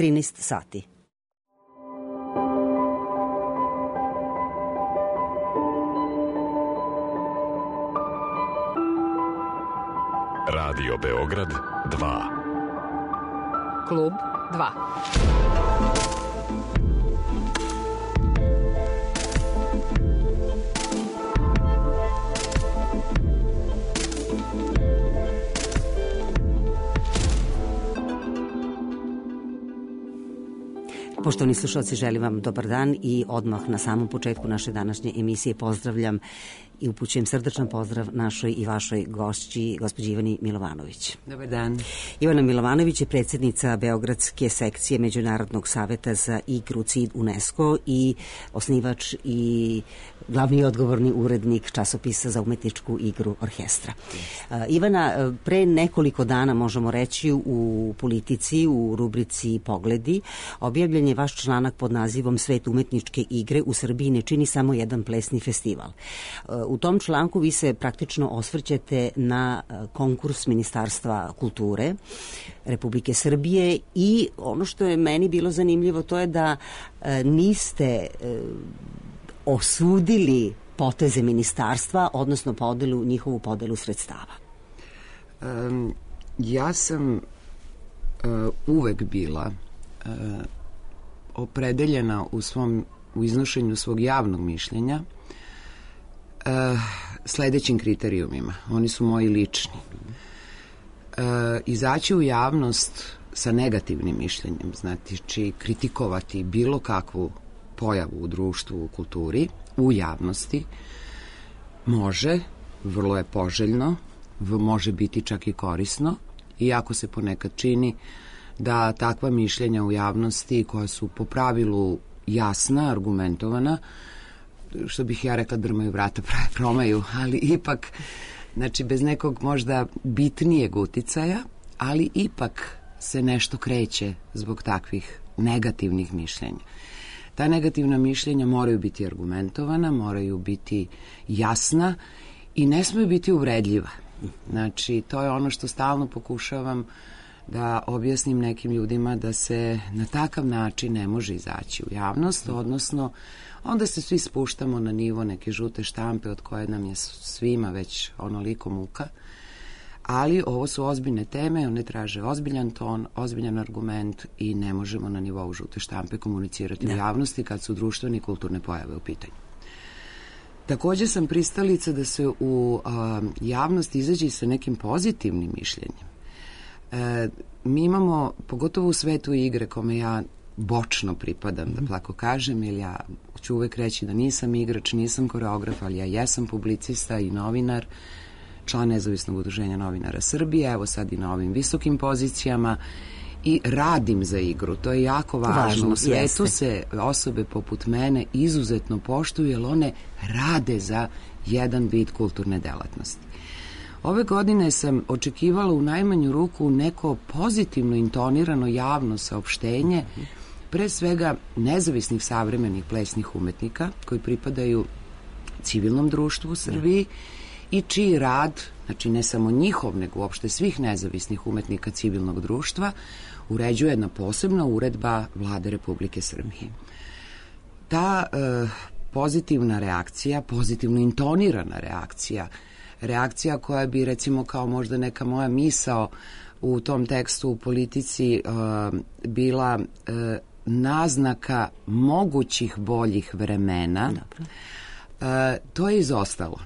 13 sati. Radio Beograd 2. Klub 2. Poštovani slušalci, želim vam dobar dan i odmah na samom početku naše današnje emisije pozdravljam i upućujem srdečan pozdrav našoj i vašoj gošći, gospođi Ivani Milovanović. Dobar dan. Ivana Milovanović je predsjednica Beogradske sekcije Međunarodnog saveta za igru CID UNESCO i osnivač i glavni i odgovorni urednik časopisa za umetničku igru Orkestra. Ivana, pre nekoliko dana, možemo reći, u Politici, u rubrici Pogledi, objavljen je vaš članak pod nazivom Svet umetničke igre u Srbiji ne čini samo jedan plesni festival. U tom članku vi se praktično osvrćete na konkurs Ministarstva kulture Republike Srbije i ono što je meni bilo zanimljivo to je da niste osudili poteze ministarstva, odnosno njihovu podelu sredstava. Ja sam uvek bila opredeljena u iznošenju svog javnog mišljenja sledećim kriterijumima. Oni su moji lični. Izaći u javnost sa negativnim mišljenjem, znači kritikovati bilo kakvu pojavu u društvu, u kulturi, u javnosti, može, vrlo je poželjno, može biti čak i korisno, iako se ponekad čini da takva mišljenja u javnosti koja su po pravilu jasna, argumentovana, što bih ja rekla drmaju vrata prave promaju, ali ipak, znači bez nekog možda bitnijeg uticaja, ali ipak se nešto kreće zbog takvih negativnih mišljenja. Ta negativna mišljenja moraju biti argumentovana, moraju biti jasna i ne smiju biti uvredljiva. Znači, to je ono što stalno pokušavam da objasnim nekim ljudima da se na takav način ne može izaći u javnost, odnosno onda se svi spuštamo na nivo neke žute štampe od koje nam je svima već onoliko muka, ali ovo su ozbiljne teme, one traže ozbiljan ton, ozbiljan argument i ne možemo na nivou žute štampe komunicirati u javnosti kad su društvene i kulturne pojave u pitanju. Takođe sam pristalica da se u javnost izađe sa nekim pozitivnim mišljenjem. Mi imamo, pogotovo u svetu igre kome ja bočno pripadam, da tako kažem, jer ja ću uvek reći da nisam igrač, nisam koreograf, ali ja jesam publicista i novinar, član Nezavisnog udruženja novinara Srbije, evo sad i na ovim visokim pozicijama i radim za igru. To je jako važno. U svetu se osobe poput mene izuzetno poštuju jer one rade za jedan vid kulturne delatnosti. Ove godine sam očekivala u najmanju ruku neko pozitivno intonirano javno saopštenje, pre svega nezavisnih savremenih plesnih umetnika koji pripadaju civilnom društvu u Srbiji i čiji rad, znači ne samo njihov, nego uopšte svih nezavisnih umetnika civilnog društva, uređuje jedna posebna uredba Vlade Republike Srbije. Ta pozitivna reakcija, pozitivno intonirana reakcija koja bi recimo kao možda neka moja misao u tom tekstu u Politici bila naznaka mogućih boljih vremena, to je izostalo.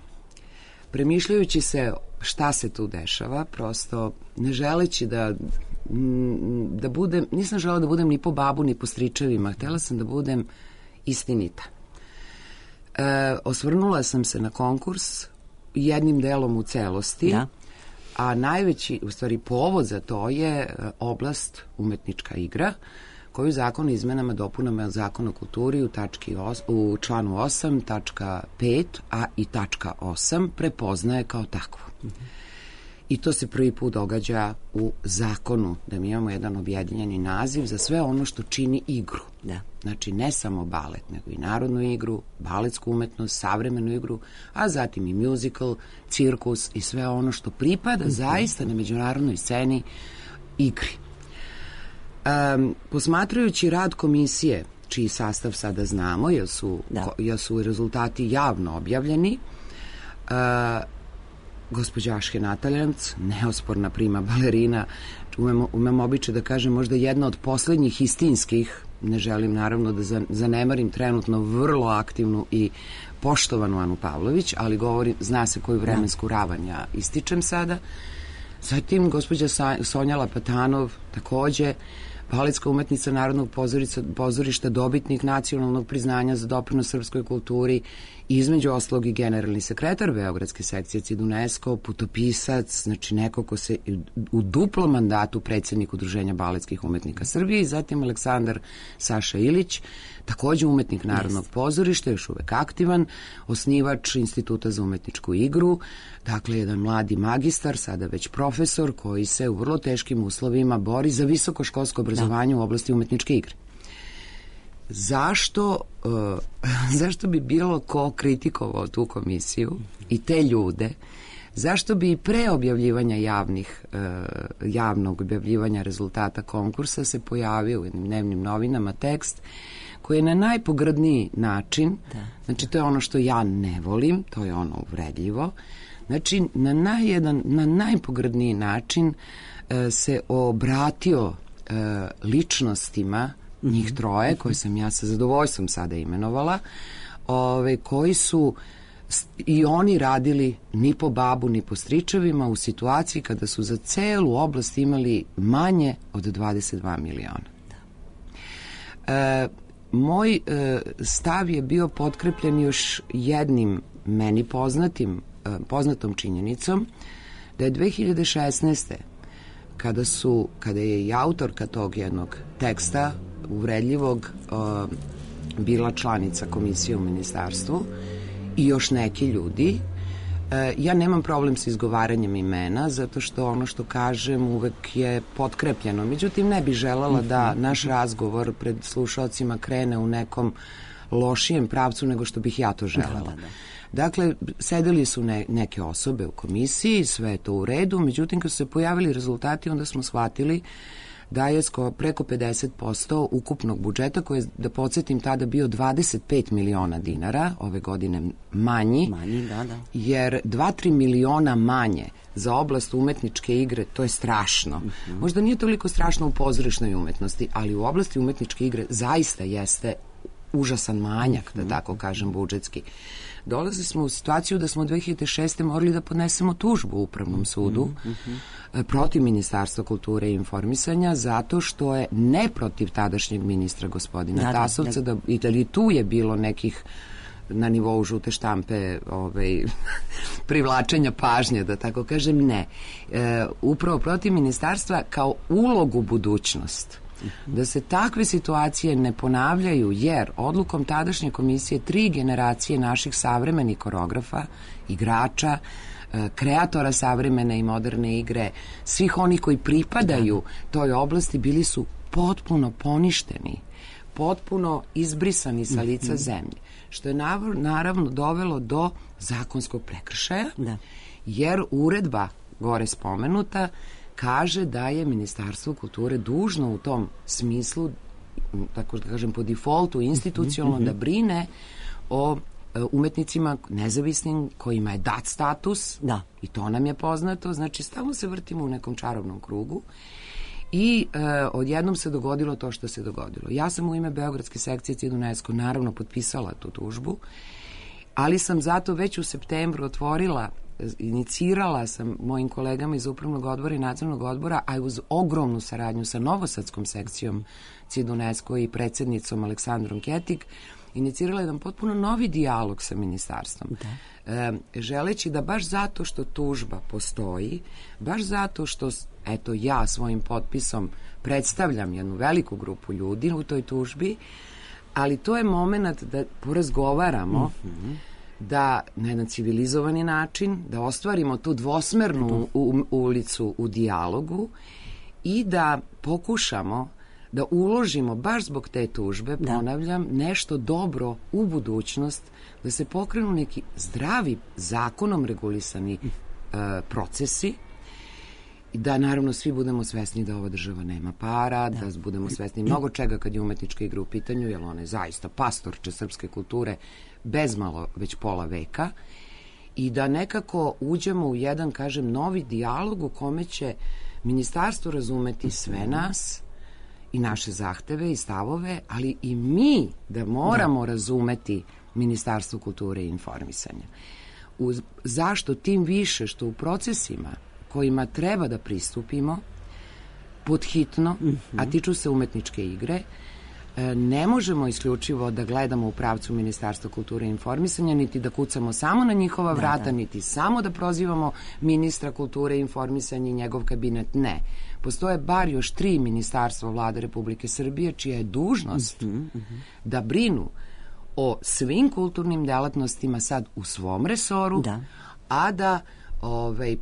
Premišljajući se šta se tu dešava, prosto ne želeći da budem, nisam želela da budem ni po babu ni po stričevima, htela sam da budem istinita. Osvrnula sam se na konkurs jednim delom u celosti, a najveći, u stvari povod za to je oblast umetnička igra, koju zakon o izmenama dopunama Zakona o kulturi u članu 8, tačka 5, a i tačka 8 prepoznaje kao takvu. I to se prvi put događa u zakonu, da mi imamo jedan objedinjeni naziv za sve ono što čini igru. Znači, ne samo balet, nego i narodnu igru, baletsku umetnost, savremenu igru, a zatim i musical, cirkus i sve ono što pripada zaista na međunarodnoj sceni igri. Posmatrajući rad komisije, čiji sastav sada znamo, jer su rezultati javno objavljeni, gospođa Ašhe Nataljevc, neosporna prima balerina, umem običaj da kažem možda jedna od poslednjih istinskih, ne želim naravno da zanemarim trenutno vrlo aktivnu i poštovanu Anu Pavlović, ali zna se koju vremensku ravan ja ističem sada. Zatim gospođa Sonja Lapatanov, takođe baletska umetnica Narodnog pozorišta, dobitnik nacionalnog priznanja za doprinos srpskoj kulturi, između ostalog i generalni sekretar Beogradske sekcije CID UNESCO, putopisac, znači neko ko se u duplom mandatu predsednik Udruženja baletskih umetnika Srbije, i zatim Aleksandar Saša Ilić, takođe umetnik Narodnog pozorišta, još uvek aktivan, osnivač Instituta za umetničku igru, dakle jedan mladi magistar, sada već profesor, koji se u vrlo teškim uslovima bori za visokoškolsko obrazovanje u oblasti umetničke igre. Zašto bi bilo ko kritikovao tu komisiju i te ljude? Zašto bi pre objavljivanja javnog objavljivanja rezultata konkursa se pojavio u jednim dnevnim novinama tekst koji je na najpogrdniji način, znači to je ono što ja ne volim, to je ono uvredljivo, znači na najpogrdniji način se obratio ličnostima, njih troje, koje sam ja sa zadovoljstvom sada imenovala, koji su i oni radili ni po babu, ni po stričevima u situaciji kada su za celu oblast imali manje od 22 miliona. Moj stav je bio potkrepljen još jednim meni poznatom činjenicom, da je 2016. kada je i autorka tog jednog teksta uvredljivog bila članica komisije u ministarstvu i još neki ljudi, ja nemam problem sa izgovaranjem imena, zato što ono što kažem uvek je potkrepljeno. Međutim, ne bih želala da naš razgovor pred slušalcima krene u nekom lošijem pravcu nego što bih ja to želela. Dakle, sedeli su neke osobe u komisiji, sve je to u redu, međutim, kad su se pojavili rezultati, onda smo shvatili da je preko 50% ukupnog budžeta, koji je, da podsjetim, tada bio 25 miliona dinara, ove godine manji, jer 2-3 miliona manje za oblast umetničke igre, to je strašno. Možda nije toliko strašno u pozorišnoj umetnosti, ali u oblasti umetničke igre zaista jeste užasan manjak, da tako kažem, budžetski. Dolazili smo u situaciju da smo 2006. morali da podnesemo tužbu u Upravnom sudu protiv Ministarstva kulture i informisanja, zato što je ne protiv tadašnjeg ministra gospodina Tasovca, da i tu je bilo nekih na nivou žute štampe privlačenja pažnje, da tako kažem, ne. Upravo protiv ministarstva kao ulogu budućnost. Da se takve situacije ne ponavljaju, jer odlukom tadašnje komisije 3 generacije naših savremenih koreografa, igrača, kreatora savremene i moderne igre, svih onih koji pripadaju toj oblasti, bili su potpuno poništeni, potpuno izbrisani sa lica zemlje, što je naravno dovelo do zakonskog prekršaja, jer uredba gore spomenuta kaže da je Ministarstvo kulture dužno u tom smislu, tako da kažem po defaultu, institucionalno da brine o umetnicima nezavisnim kojima je dat status, i to nam je poznato, znači stalno se vrtimo u nekom čarobnom krugu i odjednom se dogodilo to što se dogodilo. Ja sam u ime Beogradske sekcije CID UNESCO naravno potpisala tu tužbu, ali sam zato već u septembru inicirala sam mojim kolegama iz Upravnog odbora i Nadzornog odbora, a uz ogromnu saradnju sa Novosadskom sekcijom CID UNESCO i predsednicom Aleksandrom Ketik, inicirala jedan potpuno novi dijalog sa ministarstvom. Želeći da baš zato što tužba postoji, baš zato što, eto, ja svojim potpisom predstavljam jednu veliku grupu ljudi u toj tužbi, ali to je moment da porazgovaramo, da na jedan civilizovani način, da ostvarimo tu dvosmernu ulicu u dijalogu i da pokušamo da uložimo baš zbog te tužbe, ponavljam, nešto dobro u budućnost, da se pokrenu neki zdravi, zakonom regulisani procesi da naravno svi budemo svesni da ova država nema para, da budemo svesni mnogo čega kad je umetnička igra u pitanju, jer ona je zaista pastorče srpske kulture bezmalo već pola veka, i da nekako uđemo u jedan, kažem, novi dijalog u kome će ministarstvo razumeti sve nas i naše zahteve i stavove, ali i mi da moramo razumeti Ministarstvo kulture i informisanja. Zašto? Tim više što u procesima kojima treba da pristupimo podhitno, a tiču se umetničke igre, ne možemo isključivo da gledamo u pravcu Ministarstva kulture i informisanja, niti da kucamo samo na njihova vrata, niti samo da prozivamo ministra kulture i informisanja i njegov kabinet. Ne. Postoje bar još 3 ministarstva Vlade Republike Srbije čija je dužnost da brinu o svim kulturnim delatnostima sad u svom resoru, a da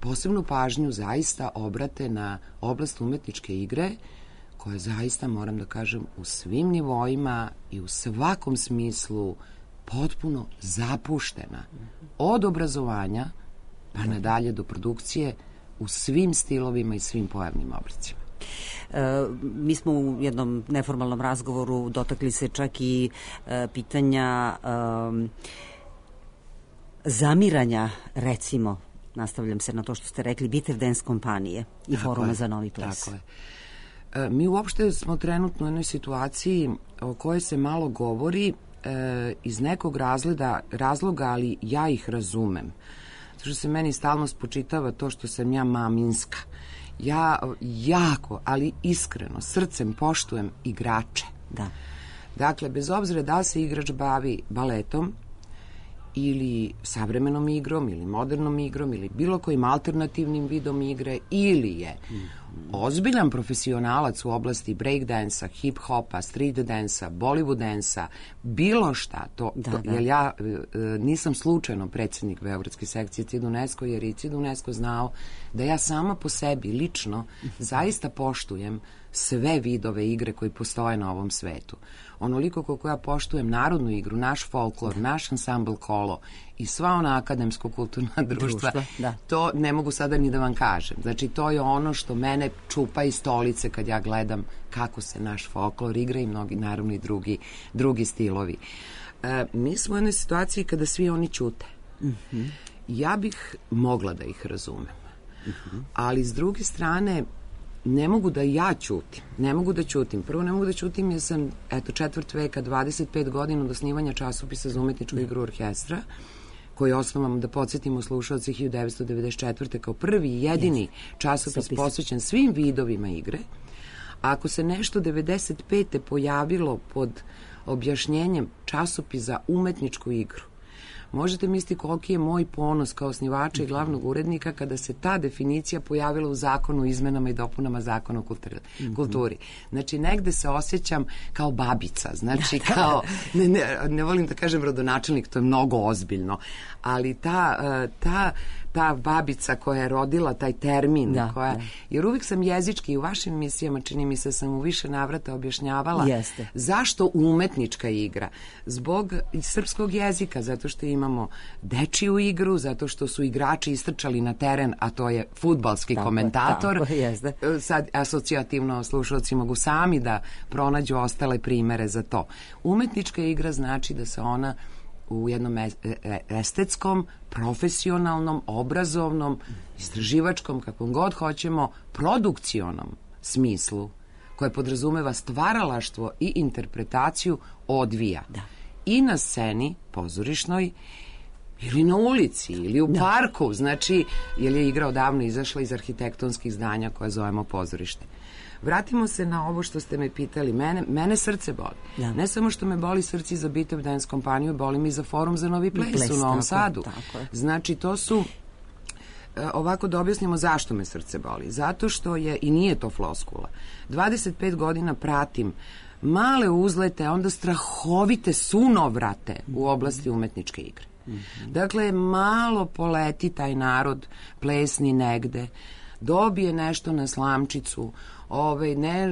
posebnu pažnju zaista obrate na oblast umetničke igre, koja zaista, moram da kažem, u svim nivoima i u svakom smislu potpuno zapuštena. Od obrazovanja pa nadalje do produkcije u svim stilovima i svim pojavnim oblicima. Mi smo u jednom neformalnom razgovoru dotakli se čak i pitanja zamiranja, recimo, nastavljam se na to što ste rekli, Bitev Dance kompanije i Foruma za novi ples. Tako je. Mi uopšte smo trenutno u jednoj situaciji o kojoj se malo govori iz nekog razloga, ali ja ih razumem. Zato što se meni stalno spočitava to što sam ja maminska. Ja jako, ali iskreno, srcem poštujem igrače. Da. Dakle, bez obzira da se igrač bavi baletom ili savremenom igrom ili modernom igrom ili bilo kojim alternativnim vidom igre, ili je ozbiljan profesionalac u oblasti breakdansa, hip-hopa, street dansa, Bollywood dansa, bilo šta, jer ja nisam slučajno predsjednik Beogradske sekcije CID UNESCO, jer i CID UNESCO znao da ja sama po sebi lično zaista poštujem sve vidove igre koji postoje na ovom svetu. Onoliko koliko ja poštujem narodnu igru, naš folklor, naš ansambl kolo i sva ona akademsko-kulturna društva, to ne mogu sada ni da vam kažem. Znači, to je ono što mene čupa iz stolice kad ja gledam kako se naš folklor igra i mnogi, naravno, i drugi stilovi. Mi smo u jednoj situaciji kada svi oni ćute. Ja bih mogla da ih razumem. Ali, s druge strane, ne mogu da ja ćutim. Ne mogu da ćutim. Prvo, ne mogu da ćutim jer sam, četvrt veka, 25 godina od osnivanja časopisa za umetničku igru orkestra, koji je osnovan, da podsjetimo slušalci, 1994. kao prvi i jedini časopis posvećen svim vidovima igre. Ako se nešto 95. pojavilo pod objašnjenjem časopis za umetničku igru, možete misliti koliki je moj ponos kao osnivača i glavnog urednika kada se ta definicija pojavila u zakonu o izmenama i dopunama zakona o kulturi. Znači, negde se osjećam kao babica, znači kao, ne volim da kažem rodonačelnik, to je mnogo ozbiljno, ali ta babica koja je rodila taj termin, jer uvijek sam jezički i u vašim emisijama, čini mi se, sam u više navrata objašnjavala zašto umetnička igra. Zbog srpskog jezika, zato što imamo dečiju igru, zato što su igrači istrčali na teren, a to je fudbalski komentator. Sad asocijativno slušalci mogu sami da pronađu ostale primere za to. Umetnička igra znači da se ona u jednom estetskom, profesionalnom, obrazovnom, istraživačkom, kakvom god hoćemo, produkcionom smislu, koje podrazumeva stvaralaštvo i interpretaciju, odvija. I na sceni pozorišnoj, ili na ulici, ili u parku, znači, jer je igra odavno izašla iz arhitektonskih zdanja koje zovemo pozorište. Vratimo se na ovo što ste me pitali. Mene srce boli. Ne samo što me boli srce za Bitev Dance kompaniju, boli mi za Forum za novi ples u Novom Sadu. Znači, to su, ovako da objasnimo zašto me srce boli. Zato što je, i nije to floskula, 25 godina pratim male uzlete, a onda strahovite sunovrate u oblasti umetničke igre. Dakle, malo poleti taj narod plesni negde, dobije nešto na slamčicu,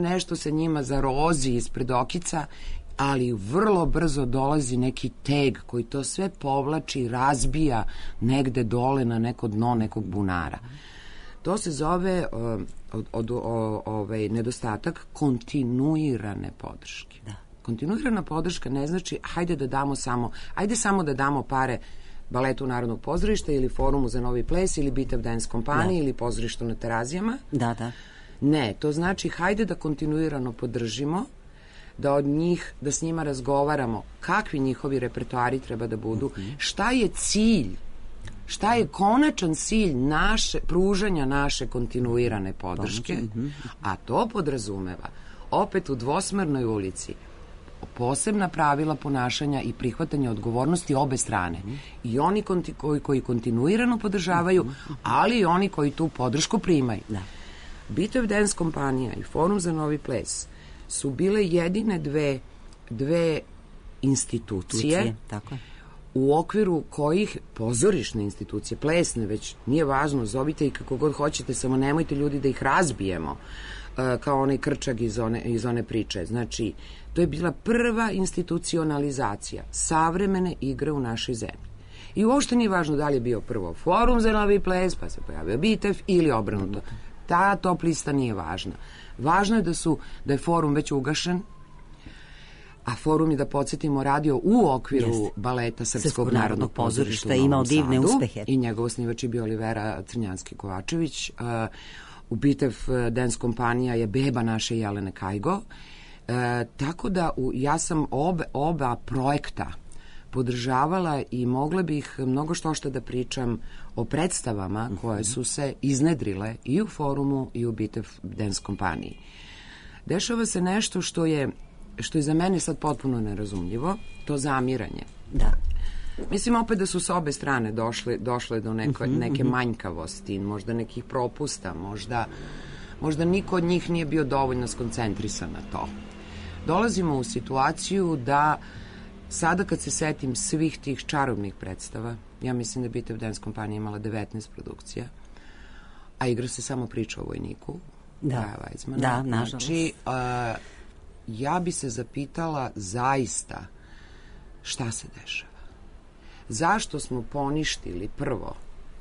nešto se njima zarozi ispred okica, ali vrlo brzo dolazi neki teg koji to sve povlači, razbija negde dole na neko dno nekog bunara. To se zove nedostatak kontinuirane podrške. Da. Kontinuirana podrška ne znači ajde samo da damo pare Baletu Narodnog pozorišta ili Forumu za novi ples ili Bitev Dance kompaniji ili pozorištu na Terazijama. Da, da. Ne, to znači hajde da kontinuirano podržimo, da s njima razgovaramo kakvi njihovi repertoari treba da budu, šta je cilj, šta je konačan cilj pružanja naše kontinuirane podrške, a to podrazumeva opet u dvosmernoj ulici posebna pravila ponašanja i prihvatanja odgovornosti obe strane. I oni koji kontinuirano podržavaju, ali i oni koji tu podršku primaju. Da. Bitev Dance kompanija i Forum za novi ples su bile jedine dve institucije tako. u okviru kojih pozorišne institucije, plesne, već nije važno, zovite i kako god hoćete, samo nemojte ljudi da ih razbijemo, kao onaj Krčag iz one priče. Znači, to je bila prva institucionalizacija savremene igre u našoj zemlji. I uopšte nije važno da li je bio prvo Forum za novi ples, pa se pojavio Bitev ili obrnuto. Ta top lista nije važna. Važno je da je Forum već ugašen, a Forum je, da podsjetimo, radio u okviru baleta Srpskog narodnog pozorišta, imao divne uspehe. I njegov osnivač je bio Olivera Crnjanski-Kovačević. U Bitev Dance kompanija je beba naše Jelene Kajgo. Tako da ja sam oba projekta podržavala i mogla bih mnogo što da pričam o predstavama koje su se iznedrile i u Forumu i u Bitev Dance kompaniji. Dešava se nešto što je za mene sad potpuno nerazumljivo, to zamiranje. Da. Mislim opet da su s obe strane došle do neke manjkavosti, možda nekih propusta, možda niko od njih nije bio dovoljno skoncentrisan na to. Dolazimo u situaciju da sada kad se setim svih tih čarobnih predstava, ja mislim da Bitev Dance kompanija imala 19 produkcija, a igra se samo priča o vojniku. Da, nažalost. Znači, ja bi se zapitala zaista šta se dešava. Zašto smo poništili prvo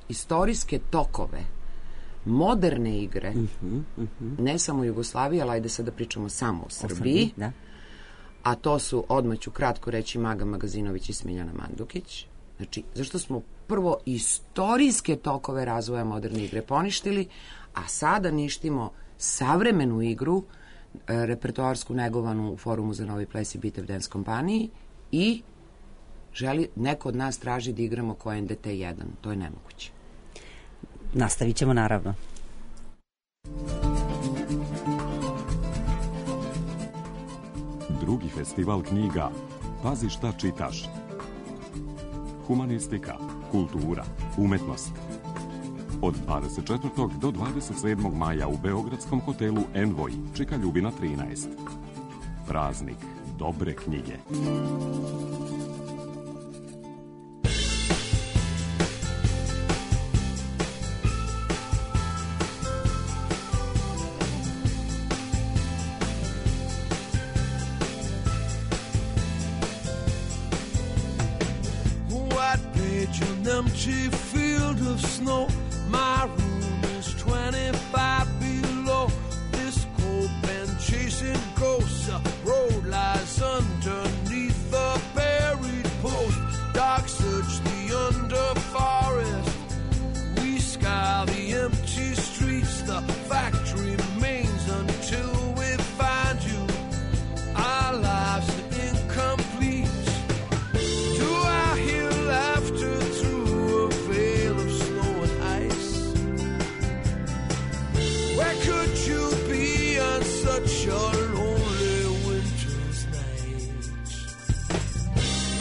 istorijske tokove moderne igre, ne samo Jugoslavije, ali ajde sad da pričamo samo o Srbiji, a to su, odmah ću kratko reći, Maga Magazinović i Smiljana Mandukić. Znači, zašto smo prvo istorijske tokove razvoja moderne igre poništili, a sada ništimo savremenu igru, repertoarsku negovanu u Forumu za novi ples i Bitev Dance kompaniji i neko od nas traži da igramo ko NDT 1. To je nemoguće. Nastavit ćemo, naravno. Drugi festival knjiga Pazi šta čitaš. Humanistika, kultura, umetnost. Od 24. do 27. maja u beogradskom hotelu Envoj čeka Ljubina 13. Praznik dobre knjige. Empty field of snow. My room is 25 below. This cold been chasing ghosts. A road lies underneath the buried post. Dark search the under forest. We scour the empty streets. The fact remains until we find you. Our lives are incomplete. Do I hear laughter through a veil of snow and ice? Where could you be on such a lonely winter's night?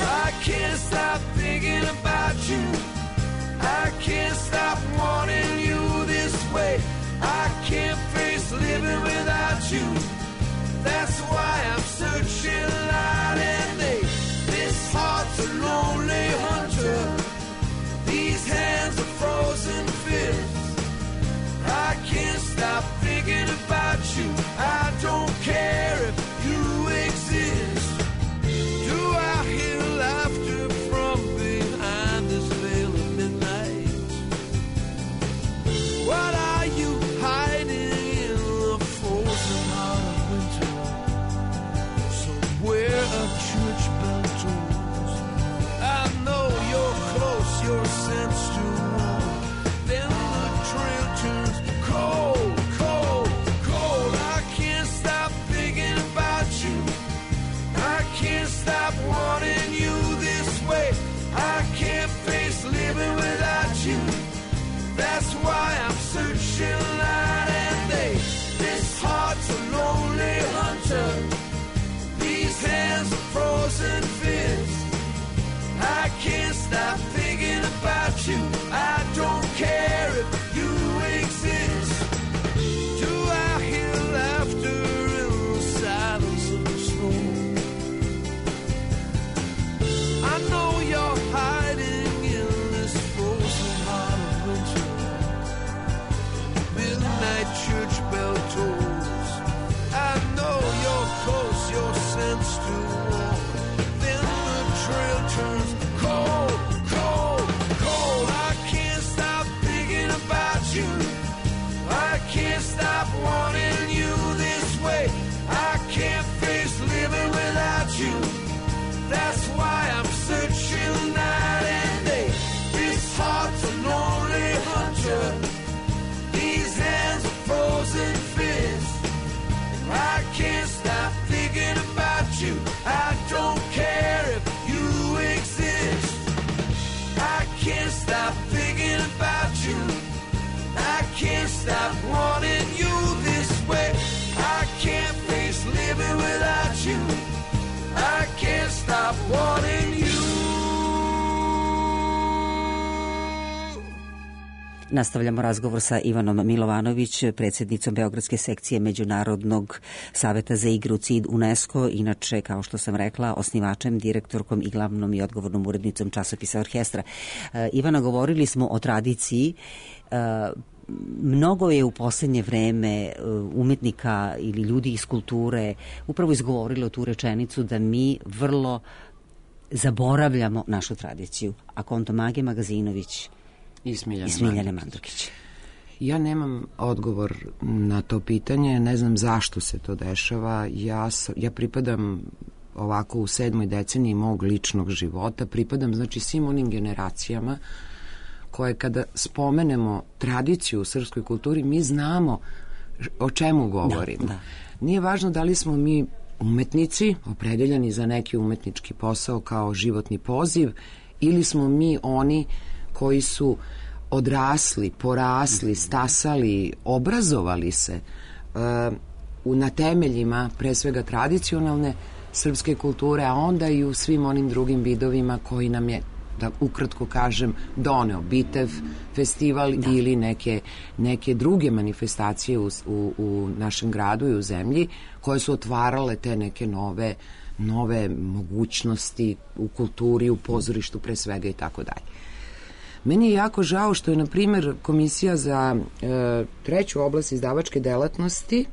I can't stop thinking about you. I can't stop wanting you this way. I can't face living without you. That's why I'm searching night and day. This heart's a lonely hunter. These hands are frozen fists. I can't stop thinking about you. I don't care if you exist. Do I hear laughter from behind this veil of midnight? What are where a church bell tolls. I know you're close, your sense to warm. Then the trail turns cold, cold, cold. I can't stop thinking about you. I can't stop wanting you this way. I can't face living without you. That's why I'm searching night and day. This heart's a lonely hunter. These hands are frozen fists. I can't stop thinking about you. I don't care if you exist. Do I hear laughter in the silence of the storm? I know you're hiding in this frozen heart of winter. Midnight church bell tolls. I know you're close, your sense to warm. Then the trail turns cold, cold, cold. I can't stop thinking about you. I can't stop wanting you this way. I can't face living without you. That's why I'm searching night and day. This heart's a lonely hunter. These hands are frozen fists. I can't stop thinking about you. I don't care if you exist. I can't stop thinking about you. I can't stop wanting you this way. I can't face living without you. I can't stop wanting you. Nastavljamo razgovor sa Ivanom Milovanović, predsjednicom Beogradske sekcije Međunarodnog saveta za igru CID UNESCO, inače, kao što sam rekla, osnivačem, direktorkom i glavnom i odgovornom urednicom časopisa Orkestra. Ivana, govorili smo o tradiciji. Mnogo je u posljednje vreme umetnika ili ljudi iz kulture upravo izgovorilo tu rečenicu da mi vrlo zaboravljamo našu tradiciju. A konto Mage Magazinović i Smiljane Mandukić. Ja nemam odgovor na to pitanje, ne znam zašto se to dešava. Ja pripadam ovako u 7. deceniji mog ličnog života, pripadam znači svim onim generacijama koje kada spomenemo tradiciju u srpskoj kulturi, mi znamo o čemu govorimo. Da. Nije važno da li smo mi umetnici, opredeljeni za neki umetnički posao kao životni poziv, ili smo mi oni koji su odrasli, porasli, stasali, obrazovali se na temeljima pre svega tradicionalne srpske kulture, a onda i u svim onim drugim vidovima koji nam je, da ukratko kažem, doneo Bitev festival ili neke druge manifestacije u našem gradu i u zemlji koje su otvarale te neke nove mogućnosti u kulturi, u pozorištu pre svega i tako dalje. Meni je jako žao što je, na primjer, Komisija za treću oblast izdavačke delatnosti,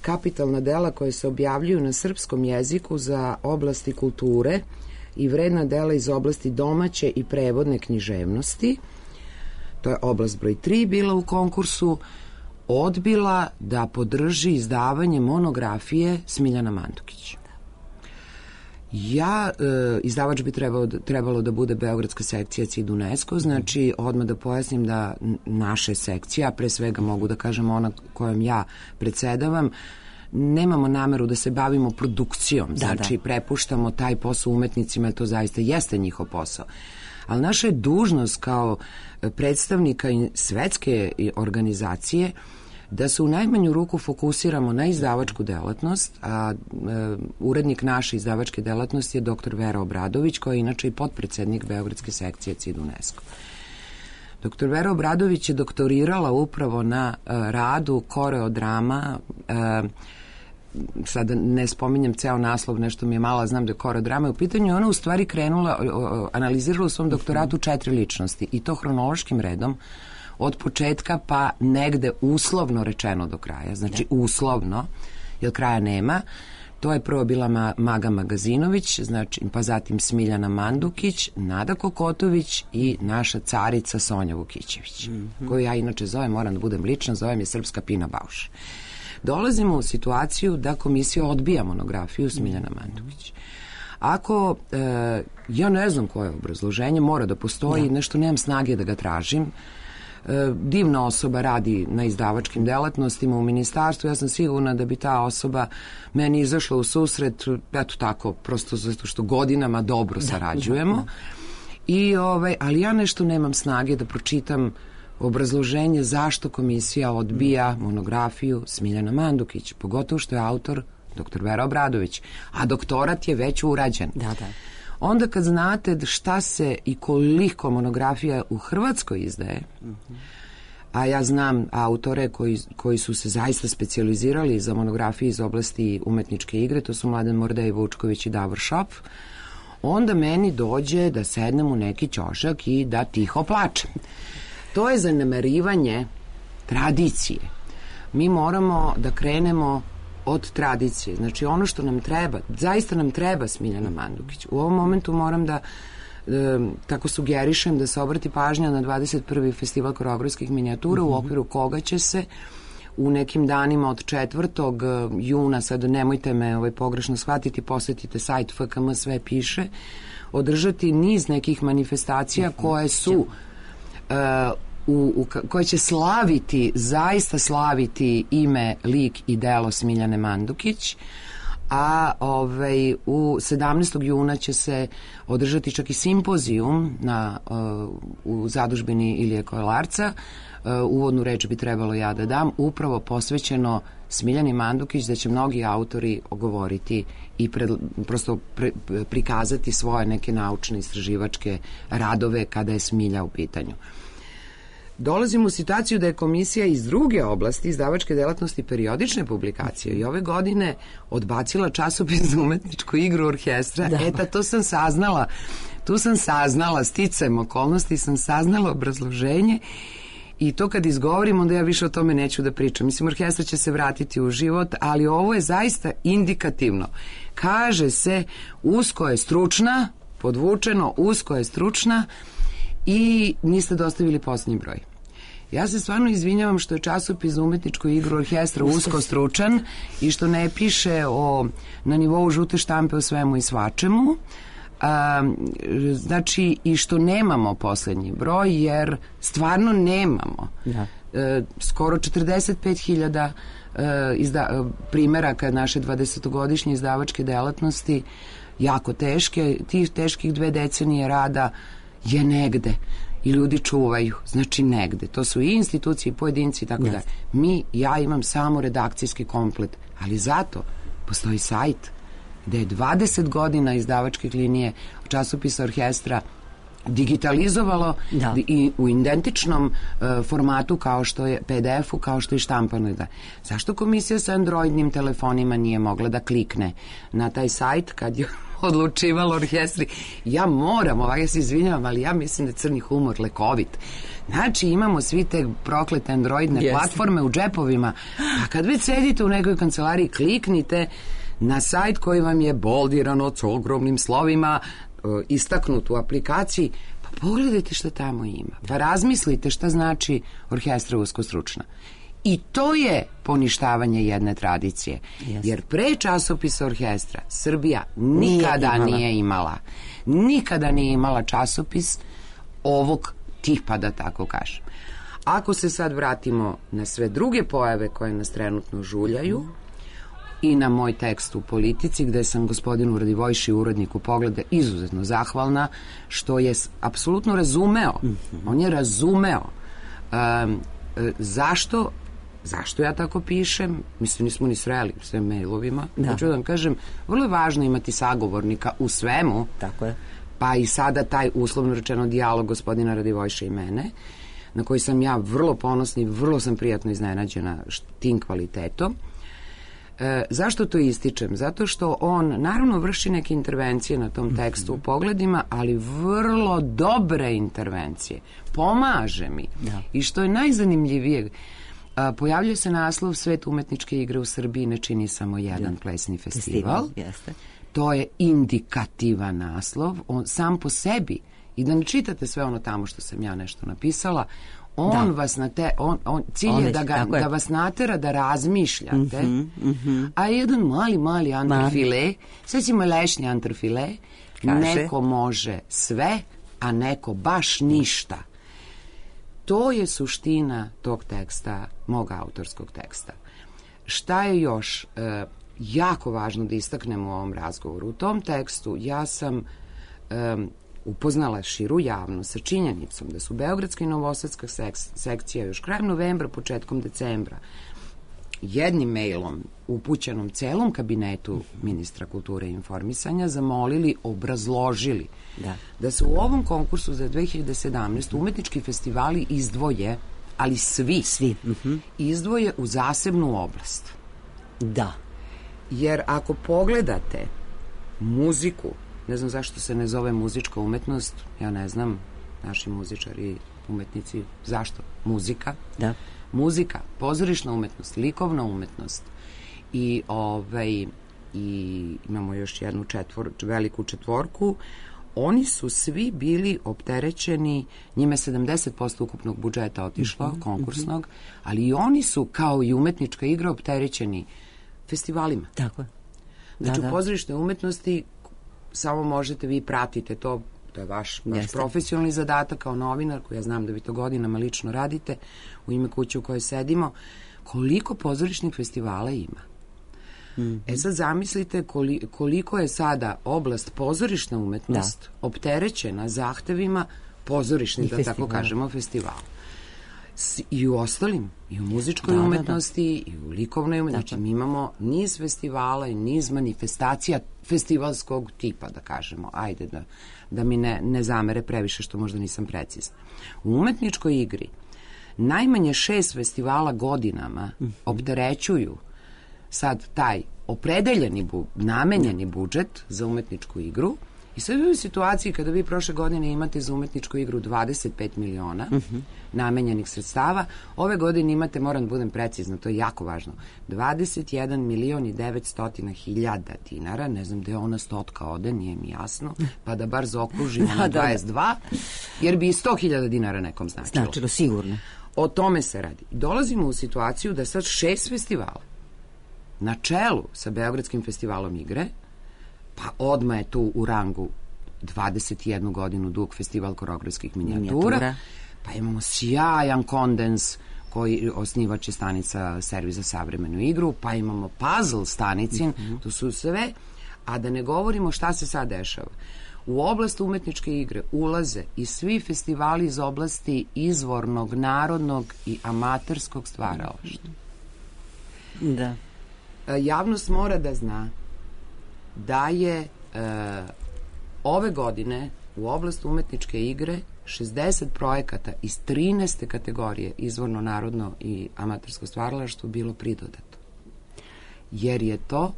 kapitalna dela koje se objavljuju na srpskom jeziku za oblasti kulture i vredna dela iz oblasti domaće i prevodne književnosti, to je oblast broj 3, bila u konkursu, odbila da podrži izdavanje monografije Smiljana Mandukić. Izdavač bi trebalo da bude Beogradska sekcija CID UNESCO, znači odmah da pojasnim da naše sekcija, pre svega mogu da kažem ona kojom ja predsedavam, nemamo nameru da se bavimo produkcijom, znači prepuštamo taj posao umetnicima, jer to zaista jeste njihov posao. Ali naša je dužnost kao predstavnika svetske organizacije da se u najmanju ruku fokusiramo na izdavačku delatnost, a urednik naše izdavačke delatnosti je dr. Vera Obradović, koja je inače i potpredsednik Beogradske sekcije CID UNESCO. Dr. Vera Obradović je doktorirala upravo na radu koreodrama, sada ne spominjem ceo naslov, nešto mi je malo, znam da je koreodrama u pitanju, ona u stvari krenula, analizirala u svom doktoratu 4 ličnosti i to hronološkim redom, od početka pa negde uslovno rečeno do kraja, znači uslovno, jer kraja nema. To je prvo bila Maga Magazinović, znači, pa zatim Smiljana Mandukić, Nada Kokotović i naša carica Sonja Vukićević, koju ja inače zovem, moram da budem lična, zovem je Srpska Pina Bauš. dolazimo u situaciju da komisija odbija monografiju Smiljana Mandukić. Ako, ja ne znam koje obrazloženje, mora da postoji, nešto nemam snage da ga tražim. Divna osoba radi na izdavačkim delatnostima u ministarstvu, ja sam sigurna da bi ta osoba meni izašla u susret, eto tako, prosto zato što godinama dobro sarađujemo. Ali ja nešto nemam snage da pročitam obrazloženje zašto komisija odbija monografiju Smiljana Mandukić, pogotovo što je autor dr. Vera Obradović, a doktorat je već urađen. Da. Onda kad znate šta se i koliko monografija u Hrvatskoj izdaje, a ja znam autore koji su se zaista specijalizirali za monografije iz oblasti umetničke igre, to su Mladen Mordej Vučković i Davor Šop, onda meni dođe da sednem u neki ćošak i da tiho plačem. To je zanemarivanje tradicije. Mi moramo da krenemo od tradicije. Znači ono što nam treba, zaista nam treba Smiljana Mandukić. U ovom momentu moram da tako sugerišem da se obrati pažnja na 21. festival koreografskih minijatura u okviru koga će se u nekim danima od 4. juna, sad nemojte me pogrešno shvatiti, posetite sajt FKM, sve piše, održati niz nekih manifestacija koje su koje će slaviti, zaista slaviti ime, lik i delo Smiljane Mandukić, a u 17. juna će se održati čak i simpozijum u zadužbini Ilije Kolarca. Uvodnu reč bi trebalo ja da dam, upravo posvećeno Smiljani Mandukić, da će mnogi autori govoriti i prosto prikazati svoje neke naučne istraživačke radove kada je Smilja u pitanju. Dolazimo u situaciju da je komisija iz druge oblasti, izdavačke delatnosti, periodične publikacije i ove godine odbacila časopis za umetničku igru orkestra. Tu sam saznala, sticajem okolnosti sam saznala obrazloženje i to kad izgovorim, onda ja više o tome neću da pričam. Mislim, orkestra će se vratiti u život, ali ovo je zaista indikativno. Kaže se, usko je stručna, podvučeno, usko je stručna, i niste dostavili posljednji broj. Ja se stvarno izvinjavam što je časopis za umetničku igru orkestra usko stručan i što ne piše na nivou žute štampe o svemu i svačemu. Znači, i što nemamo posljednji broj, jer stvarno nemamo. Skoro 45.000 primjeraka naše 20-godišnje izdavačke delatnosti, jako teške, tih teških 2 decenije rada je negde i ljudi čuvaju, znači negde. To su i institucije i pojedinci i tako da. Ja imam samo redakcijski komplet, ali zato postoji sajt gde je 20 godina izdavačke linije časopisa orkestra digitalizovalo i u identičnom formatu kao što je PDF-u, kao što je štampano. Zašto komisija sa androidnim telefonima nije mogla da klikne na taj sajt kad je odlučivalo orkestri? Ja moram, ja se izvinjavam, ali ja mislim da je crni humor lekovit. Znači, imamo svi te proklete androidne platforme u džepovima, a kad već sedite u nekoj kancelariji, kliknite na sajt koji vam je boldirano s ogromnim slovima, istaknut u aplikaciji, pa pogledajte šta tamo ima. Pa razmislite šta znači orkestra uskostručna. I to je poništavanje jedne tradicije. Jer pre časopisa orkestra Srbija nikada nije imala. Nikada nije imala časopis ovog tipa, da tako kažem. Ako se sad vratimo na sve druge pojave koje nas trenutno žuljaju i na moj tekst u Politici, gde sam gospodinu Radivojši, uredniku Pogleda, izuzetno zahvalna, što je apsolutno razumeo. On je razumeo zašto ja tako pišem. Mislim, nismo ni sreli sve mailovima. Hoću da vam kažem, vrlo je važno imati sagovornika u svemu. Tako je. Pa i sada taj uslovno rečeno dijalog gospodina Radivojša i mene, na koji sam ja vrlo ponosna i vrlo sam prijatno iznenađena tim kvalitetom. Zašto to ističem? Zato što on naravno vrši neke intervencije na tom tekstu u Pogledima, ali vrlo dobre intervencije. Pomaže mi. I što je najzanimljivije, pojavljuje se naslov Svet umetničke igre u Srbiji ne čini samo jedan plesni festival. To je indikativan naslov, on sam po sebi, i da ne čitate sve ono tamo što sam ja nešto napisala, On vas cilj je da vas natera da razmišljate, a jedan mali antrofile, sve ćemo lešnji antrofile, neko može sve, a neko baš ništa. To je suština tog teksta, mog autorskog teksta. Šta je još jako važno da istaknemo u ovom razgovoru? U tom tekstu ja sam upoznala širu javnost sa činjenicom da su Beogradska i Novosadska sekcija još krajem novembra, početkom decembra jednim mailom upućenom celom kabinetu ministra kulture i informisanja zamolili, obrazložili da se u ovom konkursu za 2017. umetnički festivali izdvoje, ali svi izdvoje u zasebnu oblast. Da. Jer ako pogledate muziku, ne znam zašto se ne zove muzička umetnost, ja ne znam, naši muzičari, umetnici, zašto? Muzika. Da. Muzika, pozorišna umetnost, likovna umetnost i imamo još jednu veliku četvorku. Oni su svi bili opterećeni, njime 70% ukupnog budžeta otišlo, konkursnog, ali i oni su, kao i umetnička igra, opterećeni festivalima. Tako je. Znači, u pozorišnoj umetnosti samo možete, vi pratite to je vaš profesionalni zadatak kao novinar, koji ja znam da vi to godinama lično radite, u ime kuće u kojoj sedimo, koliko pozorišnih festivala ima. Sad zamislite koliko je sada oblast pozorišna umetnost opterećena zahtevima pozorišnih, da tako kažemo, festivala. I u ostalim, i u muzičkoj umetnosti, i u likovnoj umetnosti. Znači, mi imamo niz festivala i niz manifestacija festivalskog tipa, da kažemo. Ajde, da mi ne zamere previše što možda nisam precizna. U umetničkoj igri najmanje 6 festivala godinama opterećuju sad taj opredeljeni, namenjeni budžet za umetničku igru. I sad u situaciji kada vi prošle godine imate za umetničku igru 25 miliona namenjenih sredstava, ove godine imate, moram da budem precizna, to je jako važno, 21 milion i 900 hiljada dinara, ne znam gde ona stotka ode, nije mi jasno, pa da bar zaokružimo na 22, jer bi i 100.000 dinara nekom značilo. Značilo, sigurno. O tome se radi. Dolazimo u situaciju da sad 6 festivala na čelu sa Beogradskim festivalom igre, pa odmah je tu u rangu 21 godinu dug festival koreografskih minijatura, pa imamo sjajan kondens koji osnivač je stanica Servis za savremenu igru, pa imamo puzzle stanicin, to su sve, a da ne govorimo šta se sad dešava. U oblast umetničke igre ulaze i svi festivali iz oblasti izvornog, narodnog i amaterskog stvaralaštva. Da. Javnost mora da zna da je ove godine u oblast umetničke igre 60 projekata iz 13. kategorije izvorno, narodno i amatersko stvaralaštvo bilo pridodato. Jer je to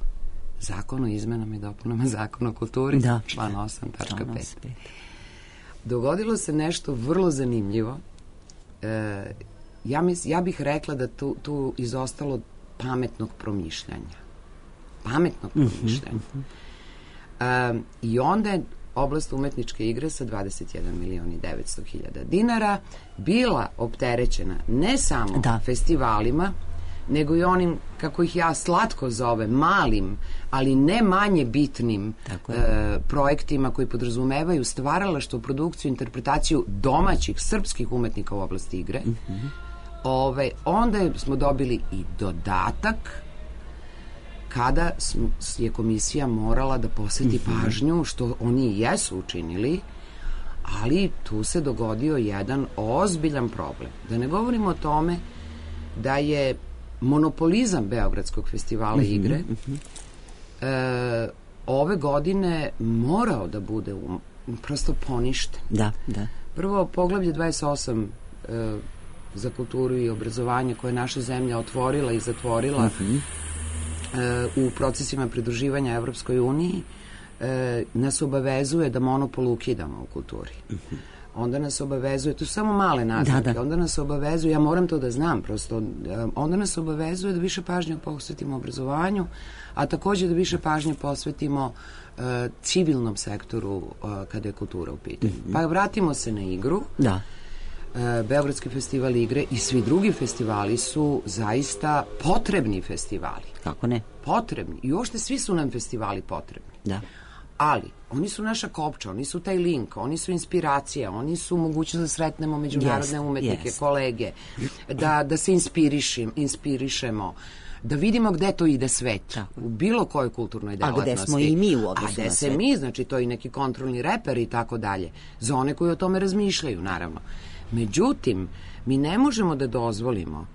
Zakon o izmenama i dopunama Zakona o kulturi, član 8.5. Dogodilo se nešto vrlo zanimljivo. Ja bih rekla da tu izostalo pametnog promišljanja. I onda je oblast umetničke igre sa 21 milion i 900 hiljada dinara bila opterećena ne samo festivalima, nego i onim, kako ih ja slatko zovem, malim, ali ne manje bitnim projektima koji podrazumevaju stvaralaštvo, produkciju, interpretaciju domaćih srpskih umetnika u oblasti igre. Onda smo dobili i dodatak kada je komisija morala da posveti pažnju, što oni i jesu učinili, ali tu se dogodio jedan ozbiljan problem. Da ne govorimo o tome da je monopolizam Beogradskog festivala igre ove godine morao da bude prosto poništen. Prvo, poglavlje 28 za kulturu i obrazovanje koje je naša zemlja otvorila i zatvorila u procesima pridruživanja Evropskoj uniji, nas obavezuje da monopol ukidamo u kulturi. Onda nas obavezuje, to su samo male naznake, onda nas obavezuje, ja moram to da znam prosto, onda nas obavezuje da više pažnje posvetimo obrazovanju, a takođe da više pažnje posvetimo civilnom sektoru kada je kultura u pitanju. Pa vratimo se na igru. Beogradski festival igre i svi drugi festivali su zaista potrebni festivali. Kako ne? Potrebni. I uopšte svi su nam festivali potrebni. Da. Ali, oni su naša kopča, oni su taj link, oni su inspiracija, oni su mogućnost da sretnemo međunarodne umetnike, kolege, da se inspirišemo, da vidimo gde to ide svet, u bilo kojoj kulturnoj delatnosti. A gde smo i mi u odnosu na svet. A gde se mi, znači to je neki kontrolni reper i tako dalje, za one koji o tome razmišljaju, naravno. Međutim, mi ne možemo da dozvolimo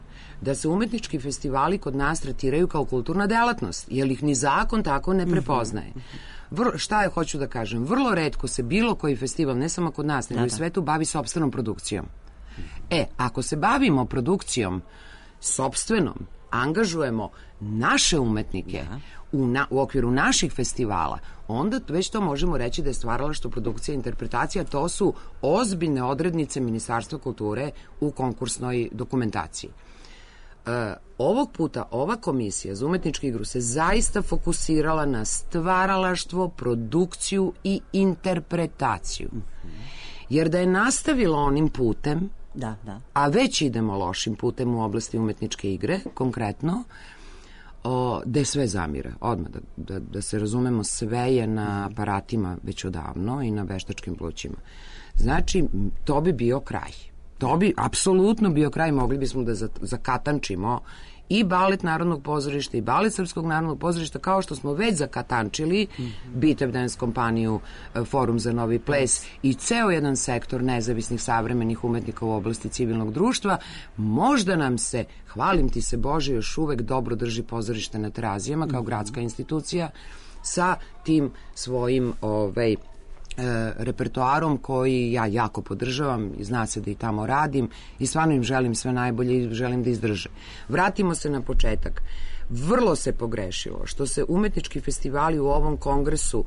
da se umetnički festivali kod nas tretiraju kao kulturna delatnost, jer ih ni zakon tako ne prepoznaje. Šta je, hoću da kažem, vrlo retko se bilo koji festival, ne samo kod nas, nego i u svetu, bavi sopstvenom produkcijom. Ako se bavimo produkcijom sopstvenom, angažujemo naše umetnike u okviru naših festivala, onda već to možemo reći da je stvaralaštvo, produkcija i interpretacija, to su ozbiljne odrednice Ministarstva kulture u konkursnoj dokumentaciji. Ovog puta ova komisija za umetničku igru se zaista fokusirala na stvaralaštvo, produkciju i interpretaciju. Jer da je nastavila onim putem, a već idemo lošim putem u oblasti umetničke igre, konkretno, gde sve zamire. Odmah, da se razumemo, sve je na aparatima već odavno i na veštačkim plućima. Znači, to bi bio kraj. To bi apsolutno bio kraj, mogli bismo da zakatančimo i balet Narodnog pozorišta i balet Srpskog narodnog pozorišta, kao što smo već zakatančili Bitev Dance kompaniju, Forum za novi ples i ceo jedan sektor nezavisnih savremenih umetnika u oblasti civilnog društva. Možda nam se, hvalim ti se Bože, još uvek dobro drži pozorište na Terazijama kao gradska institucija sa tim svojim repertoarom koji ja jako podržavam i zna se da i tamo radim i stvarno im želim sve najbolje i želim da izdrže. Vratimo se na početak. Vrlo se pogrešilo što se umetnički festivali u ovom kongresu,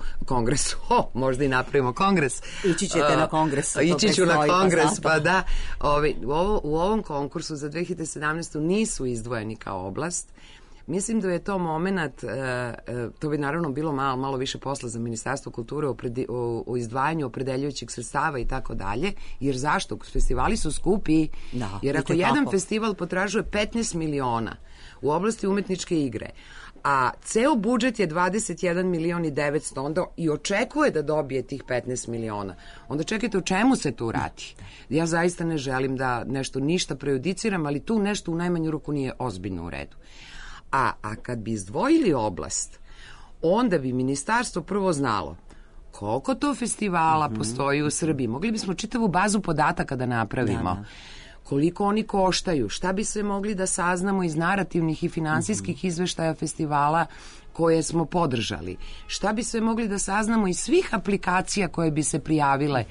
možda i napravimo kongres. Ići ćete na kongres. Ići ću na kongres, pa da. U ovom konkursu za 2017. nisu izdvojeni kao oblast. Mislim da je to moment, to bi naravno bilo malo više posla za Ministarstvo kulture o izdvajanju opredeljujućih sredstava i tako dalje, jer zašto? Festivali su skupi, jer ako jedan festival potražuje 15 miliona u oblasti umetničke igre, a ceo budžet je 21 milion i 900, onda i očekuje da dobije tih 15 miliona. Onda čekajte, o čemu se tu radi? Ja zaista ne želim da ništa prejudiciram, ali tu nešto u najmanju ruku nije ozbiljno u redu. A kad bi izdvojili oblast, onda bi ministarstvo prvo znalo koliko to festivala postoji u Srbiji. Mogli bismo čitavu bazu podataka da napravimo. Koliko oni koštaju, šta bi se mogli da saznamo iz narativnih i finansijskih izveštaja festivala koje smo podržali. Šta bi se mogli da saznamo iz svih aplikacija koje bi se prijavile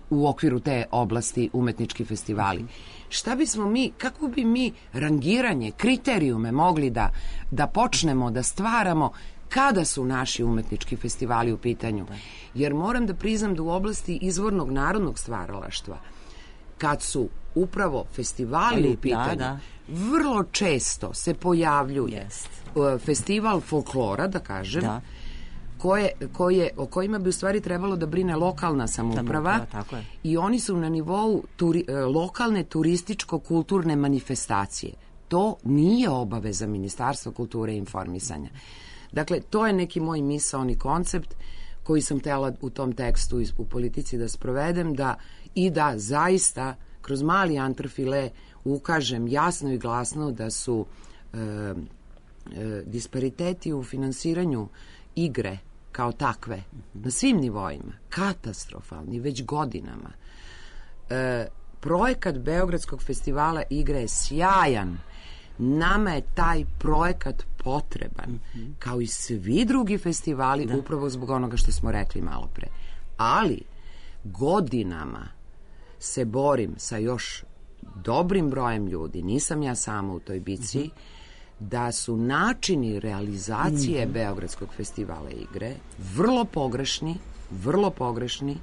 u okviru te oblasti umetnički festivali. Šta bismo mi, kako bi mi rangiranje, kriterijume mogli da počnemo da stvaramo kada su naši umetnički festivali u pitanju. Jer moram da priznam da u oblasti izvornog narodnog stvaralaštva, kad su upravo festivali u pitanju, vrlo često se pojavljuje festival folklora, da kažem, o kojima bi u stvari trebalo da brine lokalna samouprava i oni su na nivou lokalne turističko-kulturne manifestacije. To nije obaveza Ministarstva kulture i informisanja. Dakle, to je neki moj misaoni koncept koji sam htela u tom tekstu u politici da sprovedem i da zaista kroz mali antrofile ukažem jasno i glasno da su dispariteti u finansiranju igre kao takve na svim nivoima katastrofalni već godinama. Projekat Beogradskog festivala igre je sjajan. Nama je taj projekat potreban, kao i svi drugi festivali, upravo zbog onoga što smo rekli malo pre. Ali godinama se borim sa još dobrim brojem ljudi, nisam ja sama u toj bici, da su načini realizacije Beogradskog festivala igre vrlo pogrešni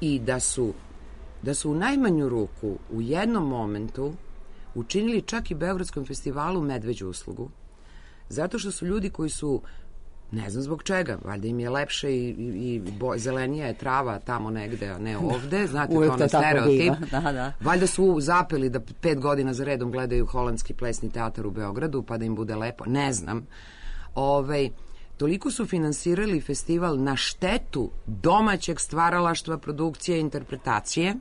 i da su u najmanju ruku u jednom momentu učinili čak i Beogradskom festivalu medveđu uslugu, zato što su ljudi koji su Ne znam zbog čega, valjda im je lepše i zelenija je trava tamo negde, a ne ovde, znate, uvek kao na stereotip. Da. Valjda su zapeli da 5 godina za redom gledaju Holandski plesni teatar u Beogradu, pa da im bude lepo, ne znam. Toliko su finansirali festival na štetu domaćeg stvaralaštva, produkcije i interpretacije,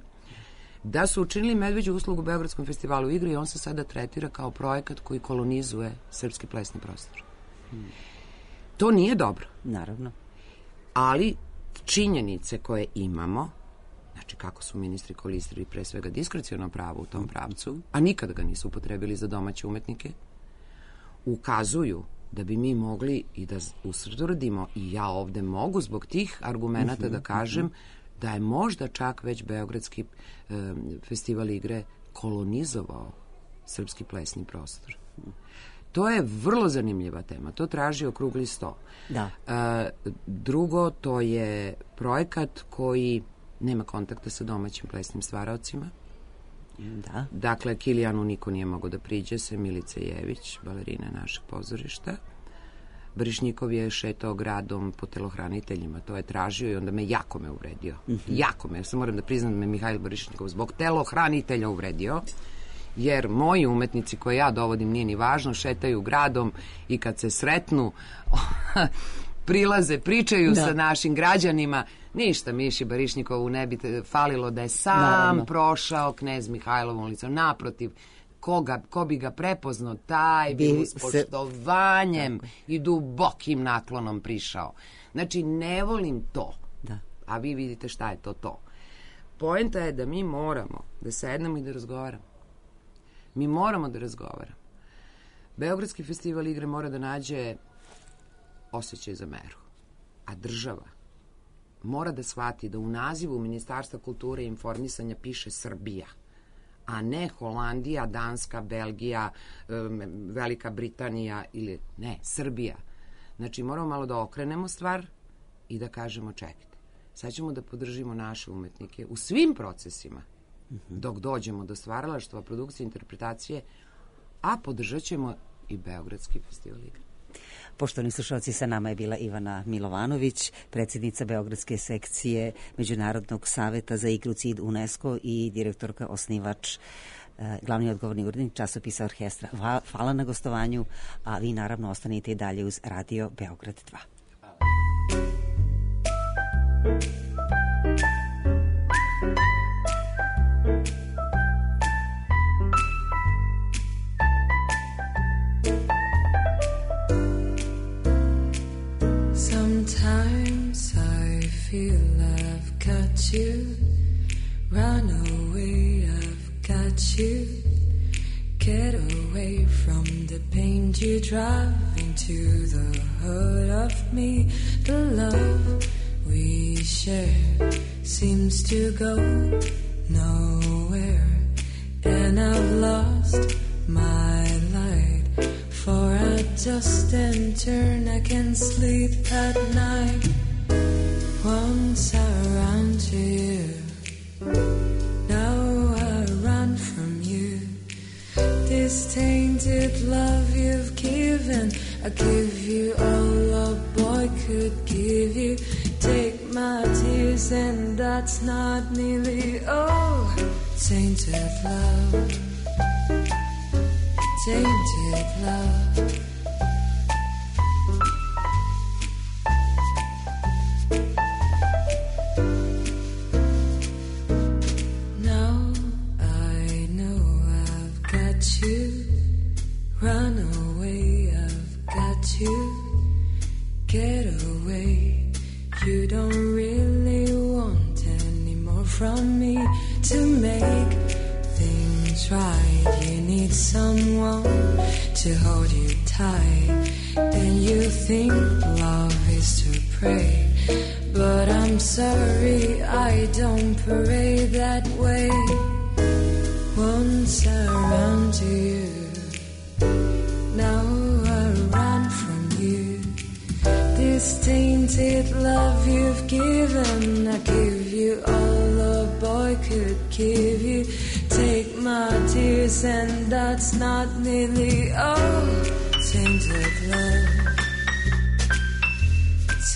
da su učinili medveđu uslugu Beogradskom festivalu igre i on se sada tretira kao projekat koji kolonizuje srpski plesni prostor. To nije dobro. Naravno. Ali činjenice koje imamo, znači kako su ministri koristili pre svega diskreciono pravo u tom pravcu, a nikada ga nisu upotrebili za domaće umetnike, ukazuju da bi mi mogli i da ustvrdimo, i ja ovde mogu zbog tih argumenata da kažem da je možda čak već Beogradski festival igre kolonizovao srpski plesni prostor. To je vrlo zanimljiva tema. To traži okrugli sto. Da. Drugo, to je projekat koji nema kontakta sa domaćim plesnim stvaraocima. Da. Dakle, Kilijanu niko nije mogao da priđe, sem Milice Jević, balerina našeg pozorišta. Brišnikov je šetao gradom po telohraniteljima, to je tražio i onda jako me uvredio. Jako me, ja sam moram da priznam da me Mihajl Brišnikov zbog telohranitelja uvredio, jer moji umetnici koje ja dovodim, nije ni važno, šetaju gradom i kad se sretnu prilaze, pričaju sa našim građanima. Ništa Miši Barišnikovu ne bi falilo da je sam prošao Knez Mihajlovom ulicom. Naprotiv, ko bi ga prepoznao, taj bi s poštovanjem i dubokim naklonom prišao. Znači, ne volim to. Da. A vi vidite šta je to. Poenta je da mi moramo da sednemo i da razgovaramo. Mi moramo da razgovaramo. Beogradski festival igre mora da nađe osjećaj za meru. A država mora da shvati da u nazivu Ministarstva kulture i informisanja piše Srbija, a ne Holandija, Danska, Belgija, Velika Britanija ili ne, Srbija. Znači, moramo malo da okrenemo stvar i da kažemo čekajte. Sad ćemo da podržimo naše umetnike u svim procesima dok dođemo do stvaralaštva, produkcije, interpretacije, a podržat ćemo i Beogradski festival igre. Poštovani slušalci, sa nama je bila Ivana Milovanović, predsjednica Beogradske sekcije Međunarodnog saveta za igru CID UNESCO i direktorka, osnivač, glavni odgovorni urednik časopisa Orkestra. Hvala na gostovanju, a vi naravno ostanite i dalje uz Radio Beograd 2. Sometimes I feel I've got you, run away, I've got you, get away from the pain you drive into the heart of me. The love we share seems to go nowhere, and I've lost my light. For I just and turn, I can't sleep at night. Once I ran to you, now I run from you. This tainted love you've given, I give you all a boy could give you. Take my tears and that's not nearly all. Tainted love, tainted love. Now I know I've got you, run away, I've got you, get away. You don't really want any more from me to make things right. You need someone to hold you tight, and you think love is to pray, but I'm sorry I don't pray that way. Once I ran to you, now I run from you. This tainted love you've given, I give you all a boy could give you. Take my tears and that's not nearly all. Tainted love,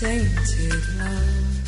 tainted love.